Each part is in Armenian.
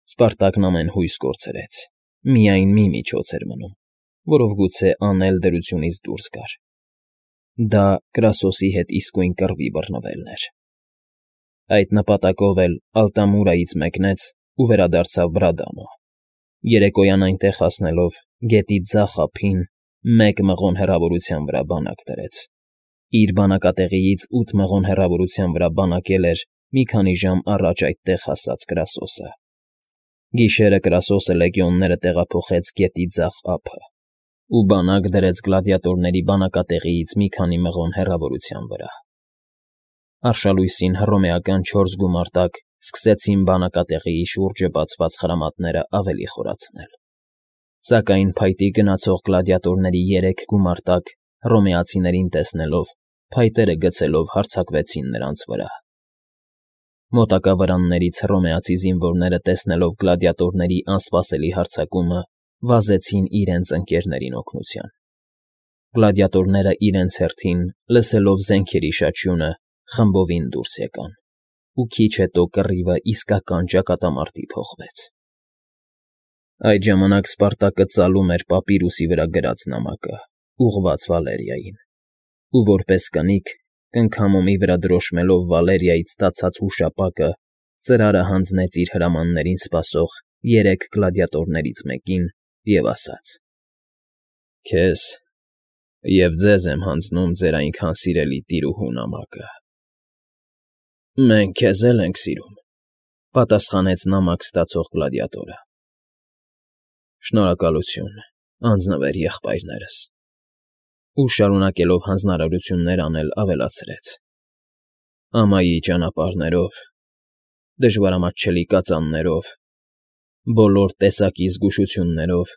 Սպարտակն ամեն հույս կորցրեց, միայն մի միջոց էր մնում, որով գուցե անել դրությունից դուրս գար. դա Կրասոսի հետ իսկույն կռվի բռնվելն էր։ Այդ նպատակով էլ Ալտամուրայից մեկնեց ու վերադարձավ Բրադամո, երեկոյան այնտեղ հասնելով գետի ձախ ափին մեկ մղոն հեռավորության վրա բանակ դրեց։ Իր բանակատեղիից 8 մղոն հեռավորության վրա բանակել էր մի քանի ժամ առաջ այդտեղ հասած Կրասոսը։ Գիշերը Կրասոսը լեգիոնները տեղափոխեց գետի ձախ ափը ու բանակ դրեց գլադիատորների բանակատեղիից մի քանի մղոն հեռավորության վրա։ Արշալույսին հռոմեական 4 գումարտակ սկսեցին բանակատեղիի շուրջը բացված խրամատները ավելի խորացնել, սակայն փայտի գնացող գլադիատորների 3 գումարտակ հռոմեացիներին տեսնելով, փայտերը գցելով հարձակվեցին նրանց վրա։ Մոտակա վրաններից հռոմեացի զինվորները տեսնելով գլադիատորների անսպասելի հարձակումը, վազեցին իրենց ընկերներին օգնության։ Գլադիատորները իրենց հերթին, լսելով զենքերի շաչյունը, խմբովին դուրս եկան, ու քիչ հետո կռիվը իսկական ճակատամարտի փոխվեց։ Այդ ժամանակ Սպարտակը ծալում էր պապիրուսի վրա գրած նամակը, ուղղված Վալերիային, ու որպես կնիկ, կնքամոմի վրա դրոշմելով Վալերիայից ստացած հուշապակը, ծրարը հանձնեց իր հրամաններին սպասող 3 գլադիատորներից մեկին և ասաց. «Քեզ և ձեզ եմ հանձնում ձեր այնքան սիրելի տիրուհու նամակը»։ «Մենք քեզ էլ ենք սիրում», ֊ պատասխանեց նամակ ստացող գլադիատորը։ «Շնորհակալություն, անձնվեր եղբայրներս», ու շարունակելով հանձնարարություններ անել ավելացրեց. «Ամայի ճանապարհներով, դժվարամատչելի կածաններով, բոլոր տեսակի զգուշություններով,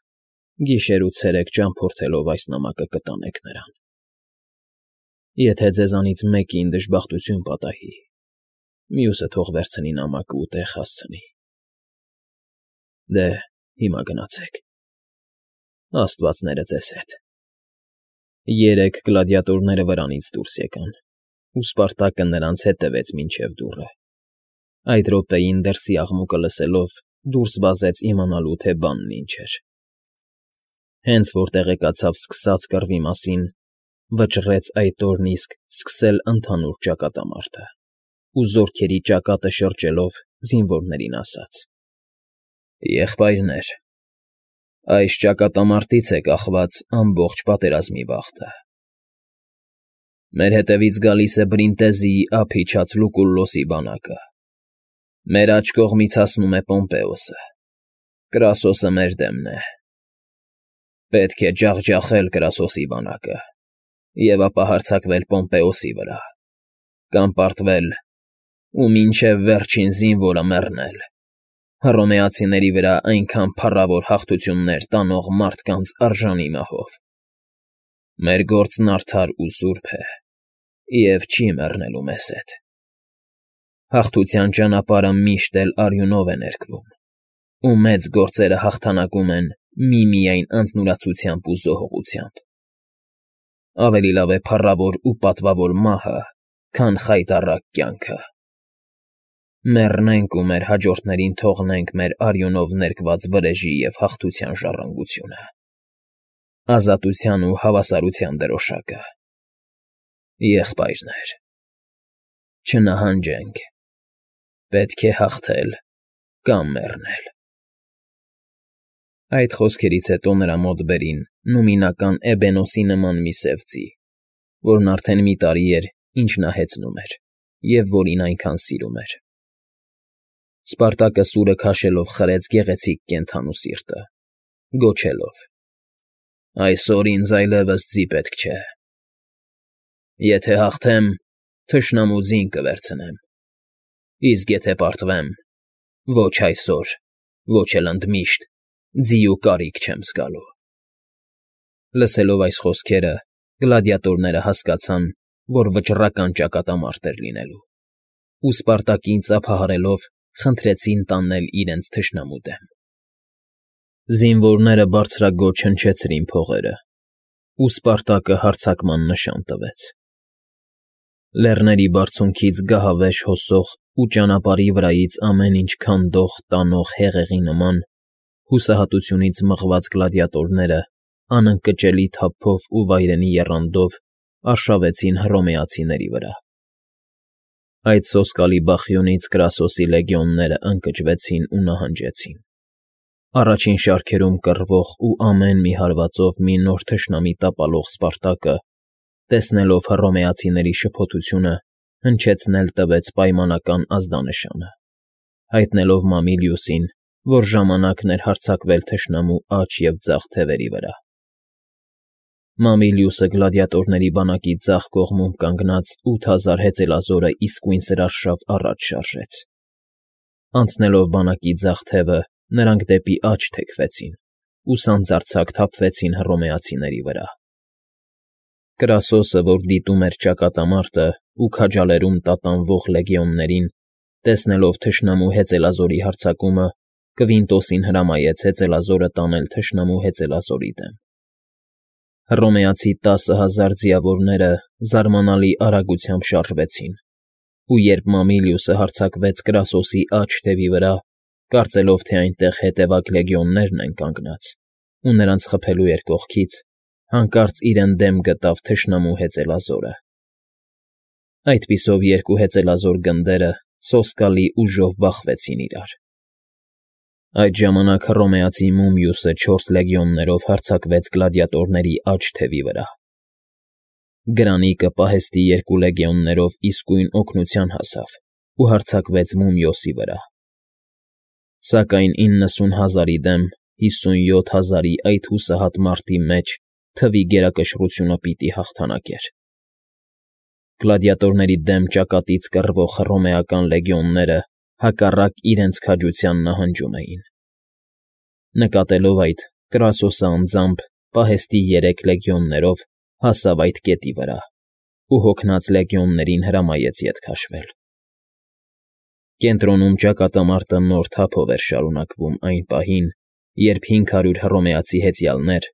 գիշեր ու ցերեկ ճամփորդելով այս նամակը կտանեք նրան։ Եթե ձեզանից մեկին դժբախտություն պատահի, մյուսը թող վերցնի նամակը ու տեղ հասցնի։ Դե, հիմա գնացեք։ Աստվածները ձեզ հետ»։ 3 գլադիատորները վրանից դուրս եկան, ու Սպարտակը նրանց հետևեց մինչև դուռը։ Այդ րոպեին դրսի աղմուկը լսելով դուրս վազեց իմանալու, թե բանն ինչ էր։ Հենց որ տեղեկացավ սկսած կռվի մասին, վճռեց այդ օրն իսկ սկսել ընդհանուր ճակատամարտը ու զորքերի ճակատը շրջելով զինվորներին ասաց. «Եղբայրներ, այս ճակատամարտից է կախված ամբողջ պատերազմի բախտը։ Մեր հետևից գալիս է Բրինտեզիի ափ իջած Լուկուլլոսի բանակը, մեր աջ կողմից հասնում է Պոմպեոսը, Կրասոսը մեր դեմն է։ Պետք է ջախջախել Կրասոսի բանակը և ապա հարձակվել Պոմպեոսի վրա, կամ պարտվել ու մինչև վերջին զինվորը մեռնել, հռոմեացիների վրա այնքան փառավոր հաղթություններ տանող մարդկանց արժանի մահով։ Մեր գործն արդար ու սուրբ է և չի մեռնելու մեզ հետ։ Հաղթության ճանապարհը միշտ էլ արյունով է ներկվում, ու մեծ գործերը հաղթանակում են միմիայն անձնուրացությամբ ու զոհողությամբ։ Ավելի լավ է փառավոր ու պատվավոր մահը, քան խայտառակ կյանքը։ Մեռնենք ու մեր հաջորդներին թողնենք մեր արյունով ներկված վրեժի և հաղթության ժառանգությունը, ազատության ու հավասարության դրոշակը։ Եղբայրներ, չնահանջենք, պետք է հաղթել կամ մեռնել»։ Այդ խոսքերից հետո նրա մոտ բերին նումինական էբենոսի նման մի սև ձի, որն արդեն մի տարի էր, ինչ նա հեծնում էր, և որին այնքան սիրում էր։ Սպարտակը սուրը քաշելով խրեց գեղեցիկ կենդանու սիրտը, գոչելով. «Այսօր ինձ այլևս ձի պետք չէ։ Եթե հաղթեմ, թշնամու ձին կվերցնեմ, իսկ եթե պարտվեմ, ոչ այսօր, ոչ էլ ընդմիշտ ձի ու կարիք չեմ զգալու»։ Լսելով այս խոսքերը, գլադիատորները հասկացան, որ վճռական ճակատամարտ էր լինելու, ու Սպարտակին ծափահարելով խնդրեցին տանել իրենց թշնամու դեմ։ Զինվորները բարձրաձոչ հնչեցրին փողերը, ու Սպարտակը հարձակման նշան տվեց։ Լեռների բարձունքից գահավեժ հոսող ու ճանապարհի վրայից ամեն ինչ քանդող տանող հեղեղի նման հուսահատությունից մղված գլադիատորները անընկճելի թափով ու վայրենի եռանդով արշավեցին հռոմեացիների վրա։ Այդ սոսկալի բախյունից Կրասոսի լեգիոնները ընկճվեցին ու նահանջեցին։ Առաջին շարքերում կռվող ու ամեն մի հարվածով մի նոր թշնամի տապալող Սպարտակը, տեսնելով հռոմեացիների շփոթությունը, հնչեցնել տվեց պայմանական ազդանշանը, հայտնելով Մամիլիուսին, որ ժամանակն էր հարձակվել թշնամու աջ և ձախ թևերի վրա։ Մամիլիուսը գլադիատորների բանակի ձախ կողմում կանգնած 8000 հեծելազորը իսկույն սրարշավ առաջ շարժեց։ Անցնելով բանակի ձախ թևը, նրանք դեպի աջ թեքվեցին ու սանձարձակ թափվեցին հռոմեացիների վրա։ Կրասոսը, որ դիտում էր ճակատամարտը ու քաջալերում տատանվող լեգիոններին, տեսնելով թշնամու հեծելազորի հարձակումը, Կվինտոսին հրամայեց հեծելազորը տանել թշնամու հեծելազորի դեմ։ Հռոմեացի 10,000 ձիավորները զարմանալի արագությամբ շարժվեցին, ու երբ Մամիլիուսը հարձակվեց Կրասոսի աջ թևի վրա, կարծելով, թե այնտեղ հետևակ լեգիոններն են կանգնած, ու նրանց խփելու էր կողքից, հանկարծ իրեն դեմ գտավ թշնամու հեծելազորը։ Այդպիսով երկու հեծելազոր գնդերը սոսկալի ուժով բախվեցին իրար։ Այդ ժամանակ հռոմեացի Մումիուսը 4 լեգիոններով հարձակվեց գլադիատորների աջ թևի վրա։ Գրանիկը պահեստի 2 լեգիոններով իսկույն օգնության հասավ ու հարձակվեց Մումիոսի վրա։ Սակայն 90,000-ի դեմ 57,000-ի այդ հուսահատ մարդի մեջ թվի գերակշռությունը պիտի հաղթանակեր։ Գլադիատորների դեմ ճակատից կռվող հռոմեական լեգիոնները հակառակ իրենց քաջության նահանջում էին։ Նկատելով այդ, Կրասոսը անձամբ պահեստի 3 լեգիոններով հասավ այդ կետի վրա ու հոգնած լեգիոններին հրամայեց ետ քաշվել։ Կենտրոնում ճակատամարտը նոր թափով էր շարունակվում այն պահին, երբ 500 հռոմեացի հեծյալներ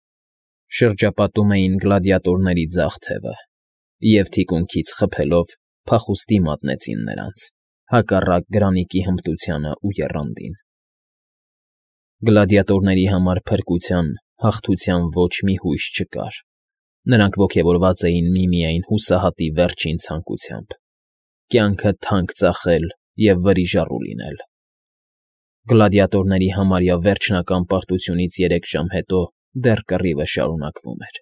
շրջապատում էին գլադիատորների ձախ թևը և թիկունքից խփելով փախուստի մատնեցին նրանց, հակառակ գրանիկի հմտությանը ու եռանդին։ Գլադիատորների համար փրկության, հաղթության ոչ մի հույս չկար։ Նրանք ոգևորված էին միմիայն հուսահատի վերջին ցանկությամբ՝ կյանքը թանկ ծախել և վրիժառու լինել։ Գլադիատորների համարյա վերջնական պարտությունից 3 ժամ հետո դեռ կռիվը շարունակվում էր։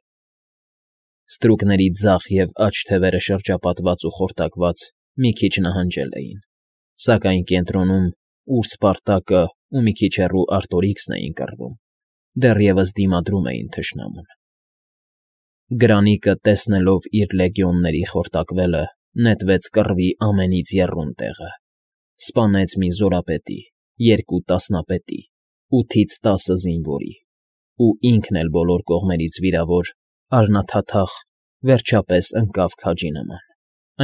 Ստրուկների ձախ և աջ թևերը շրջապատված ու խորտակված մի քիչ նահանջել էին, սակայն կենտրոնում, ուր Սպարտակը ու մի քիչ հեռու Արտորիքսն էին կռվում, դեռևս դիմադրում էին թշնամուն։ Գրանիկը, տեսնելով իր լեգիոնների խորտակվելը, նետվեց կռվի ամենից եռուն տեղը, սպանեց մի զորապետի, 2 տասնապետի, 8-ից 10 զինվորի ու ինքն էլ բոլոր կողմերից վիրավոր, առնաթաթախ, վերջապես ընկավ քաջի նման,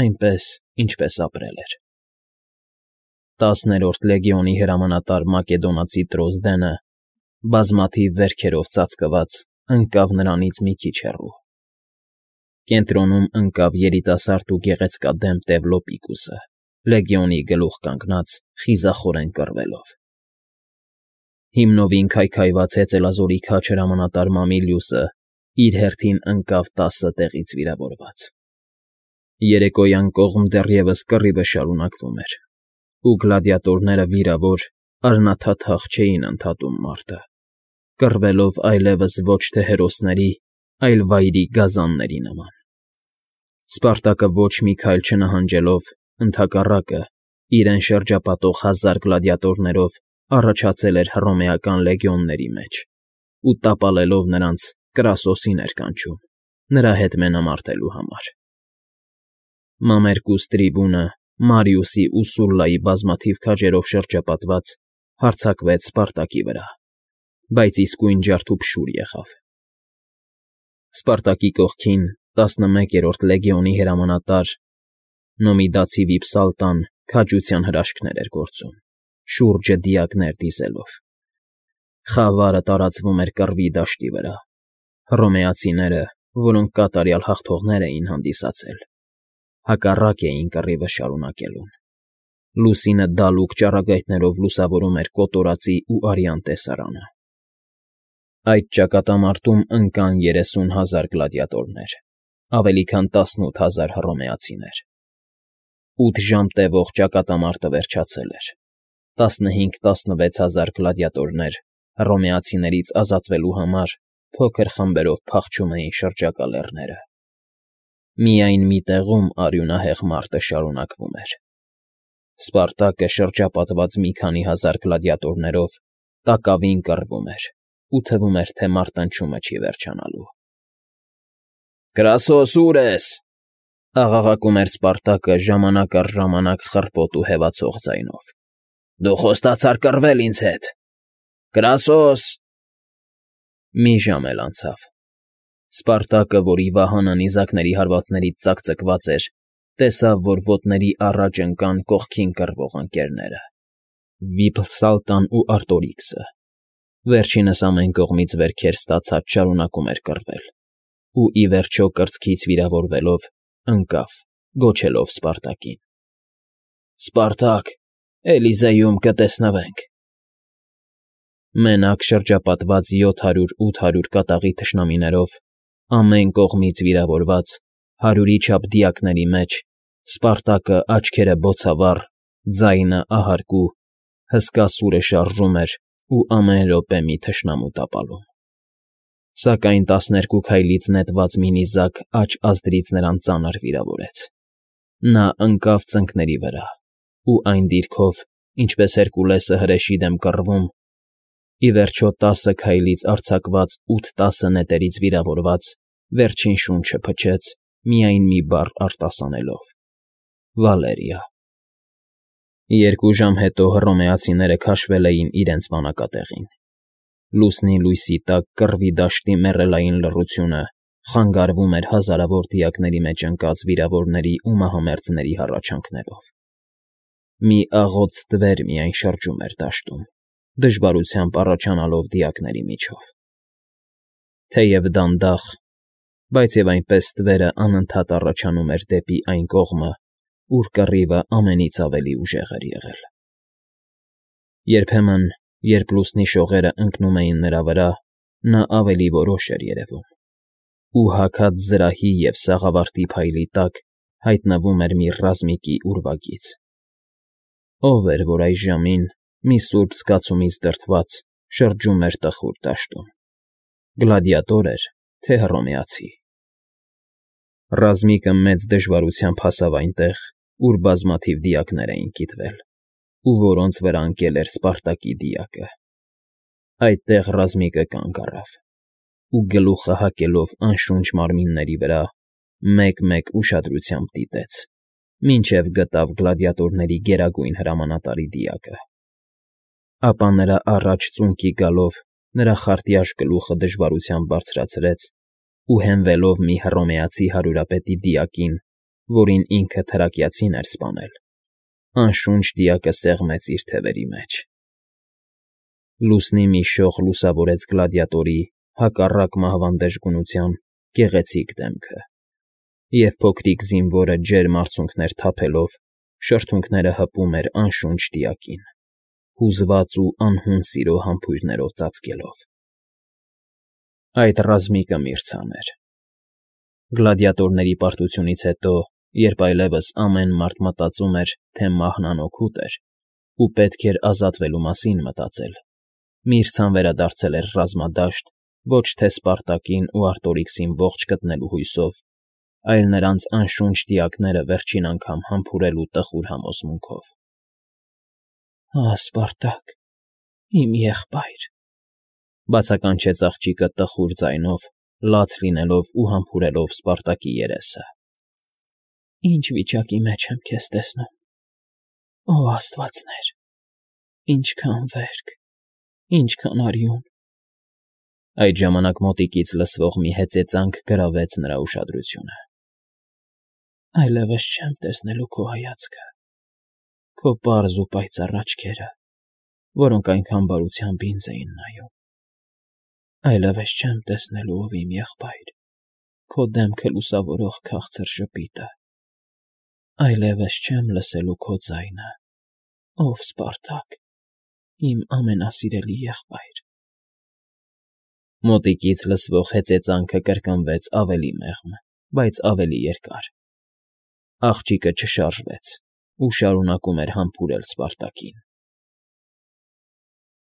այնպես, ինչպես ապրել էր։ 10-րդ լեգիոնի հրամանատար մակեդոնացի Տրոզդենը, բազմաթիվ վերքերով ծածկված, ընկավ նրանից մի քիչ հեռու։ Կենտրոնում ընկավ երիտասարդ ու գեղեցկադեմ Տևլոպիկուսը, լեգիոնի գլուխ կանգնած, խիզախորեն կռվելով։ Հիմնովին քայքայված հեծելազորի քաջ հրամանատար Մամիլիուսը իր հերթին ընկավ 10 տեղից վիրավորված։ Երեկոյան կողմ դեռևս կռիվը շարունակվում էր, ու գլադիատորները վիրավոր, առնաթաթախ չէին ընդհատում մարտը, կռվելով այլևս ոչ թե հերոսների, այլ վայրի գազանների նման։ Սպարտակը ոչ մի քայլ չնահանջելով, ընդհակառակը, իրեն շրջապատող 1000 գլադիատորներով առաջացել էր հռոմեական լեգիոնների մեջ ու տապալելով նրանց Կրասոսին էր կանչում, նրա հետ մենամարտելու համար։ Մամերկուս Տրիբունը, Մարիուսի ու Սուլլայի բազմաթիվ քաջերով շրջապատված, հարձակվեց Սպարտակի վրա, բայց իսկույն ջարդուփշուր եղավ։ Սպարտակի կողքին 11-րդ լեգիոնի հրամանատար Նոմիդացի Վիփսալտան քաջության հրաշքներ էր գործում, շուրջը դիակներ դիզելով։ Խավարը տարածվում էր կռվի դաշտի վրա։ Հռոմեացիները, որոնք կատարյալ հաղթողներ էին հանդիսացել, հակառակ էին կռիվը շարունակելուն։ Լուսինը դալուկ ճառագայթներով լուսավորում էր կոտորածի ու արյան տեսարանը։ Այդ ճակատամարտում ընկան 30,000 գլադիատորներ, ավելի քան 18,000 հռոմեացիներ։ 8 ժամ տևող ճակատամարտը վերջացել էր։ 15-16,000 գլադիատորներ հռոմեացիներից ազատվելու համար փոքր խմբերով փախչում էին շրջակա լեռները։ Միայն մի տեղում արյունահեղ մարտը շարունակվում էր։ Սպարտակը շրջապատված մի քանի հազար գլադիատորներով տակավին կռվում էր ու թվում էր, թե մարտնչյունը չի վերջանալու։ «Կրասոս, ո՞ւր ես», աղաղակում էր Սպարտակը ժամանակ առ ժամանակ խռպոտ ու հևացող ձայնով։ «Դու խոստացար կռվել ինձ հետ, Կրասոս»։ Մի ժամ էլ անցավ։ Սպարտակը, որի վահանը նիզակների հարվածներից ծակծկված էր, տեսավ, որ ոտների առաջ ընկան կողքին կռվող ընկներները՝ Վիփսալտան ու Արտորիքսը։ Վերջինս ամեն կողմից վերքեր ստացած շարունակում էր կռվել ու, ի վերջո, կրծքից վիրավորվելով, ընկավ, գոչելով Սպարտակին. «Սպարտակ, Էլիզեում կտեսնվենք»։ Մենակ շրջապատված 700-800 կատաղի թշնամիներով, ամեն կողմից վիրավորված, 100-ի չափ դիակների մեջ, Սպարտակը, աչքերը բոցավառ, ձայնը ահարկու, հսկա սուրը շարժում էր ու ամեն րոպե մի թշնամու տապալում։ Սակայն 12 քայլից նետված մի նիզակ աջ ազդրից նրան ծանր վիրավորեց։ Նա ընկավ ծնկների վրա ու այն դիրքով, ինչպես Հերկուլեսը հրեշի դեմ կռվում, ի վերջո 10 քայլից արձակված 8-10 նետերից վիրավորված, վերջին շունչը փչեց, միայն մի բառ արտասանելով. «Վալերիա»։ 2 ժամ հետո հռոմեացիները քաշվել էին իրենց բանակատեղին։ Լուսնի լույսի տակ կռվի դաշտի մեռելային լռությունը խանգարվում էր հազարավոր դիակների մեջ ընկած վիրավորների ու մահամերձների հառաչանքներով։ Մի աղոտ ստվեր միայն շրջում էր դաշտում, դժվարությամբ առաջանալով դիակների միջով։ Թեև դանդաղ, բայց և այնպես ստվերը անընդհատ առաջանում էր դեպի այն կողմը, ուր կռիվը ամենից ավելի ուժեղ էր եղել։ Երբեմն, երբ լուսնի շողերը ընկնում էին նրա վրա, նա ավելի որոշ էր երևում, ու հագած զրահի և սաղավարտի փայլի տակ հայտնվում էր մի ռազմիկի ուրվագիծ։ Ո՞վ էր, որ այս ժամին, մի սուրբ զգացումից դրդված, շրջում էր տխուր դաշտում՝ գլադիատոր էր, թե հռոմեացի։ Ռազմիկը մեծ դժվարությամբ հասավ այնտեղ, ուր բազմաթիվ դիակներ էին կիտվել, ու որոնց վրա ընկել էր Սպարտակի դիակը։ Այդտեղ ռազմիկը կանգ առավ ու, գլուխը հակելով անշունչ մարմինների վրա, մեկ֊մեկ ուշադրությամբ դիտեց, մինչև գտավ գլադիատորների գերագույն հրամանատարի դիակը։ Ապա նրա առաջ ծունկի գալով նրա խարտյաշ գլուխը դժվարությամբ բարձրացրեց ու, հենվելով մի հռոմեացի հարյուրապետի դիակին, որին ինքը թրակիացին էր սպանել, անշունչ դիակը սեղմեց իր թևերի մեջ։ Լուսնի մի շող լուսավորեց գլադիատորի, հակառակ մահվան դժգունության, գեղեցիկ դեմքը, և փոքրիկ զինվորը ջերմ արցունքներ թափելով, շրթունքները հպում էր անշունչ դիակին, հուզված ու անհուն սիրո համբույրներով ծածկելով։ Այդ ռազմիկը Միրցան էր։ Գլադիատորների պարտությունից հետո, երբ այլևս ամեն մարդ մտածում էր, թե մահն անօգուտ էր ու պետք էր ազատվելու մասին մտածել, Միրցան վերադարձել էր ռազմադաշտ ոչ թե Սպարտակին ու Արտորիքսին ողջ գտնելու հույսով, այլ նրանց անշունչ դիակները վերջին անգամ համբուրելու տխուր համոզմունքով։ «Ահ, Սպարտակ, իմ եղբայր», բացականչեց աղջիկը տխուր ձայնով, լաց լինելով ու համբուրելով Սպարտակի երեսը։ «Ինչ վիճակի մեջ եմ քեզ տեսնում։ Ո աստվածներ, ինչքան վերք, ինչքան արյուն»։ Այդ ժամանակ մոտիկից լսվող մի հեծեծանք գրավեց նրա ուշադրությունը։ «Այլևս չեմ տեսնելու քո հայացքը, քո պարզ ու պայծառ աչքերը, որոնք այնքան բարությամբ ինձ էին նայում։ Այլևս չեմ տեսնելու, ով իմ եղբայր, քո դեմքը լուսավորող քաղցր ժպիտը, Այլևս չեմ լսելու քո ձայնը, ով Սպարտակ, իմ ամենասիրելի եղբայր… Մոտիկից լսվող հեծեծանքը կրկնվեց ավելի մեղմ, բայց ավելի երկար. աղջիկը չշարժվեց ու շարունակում էր համբուրել Սպարտակին։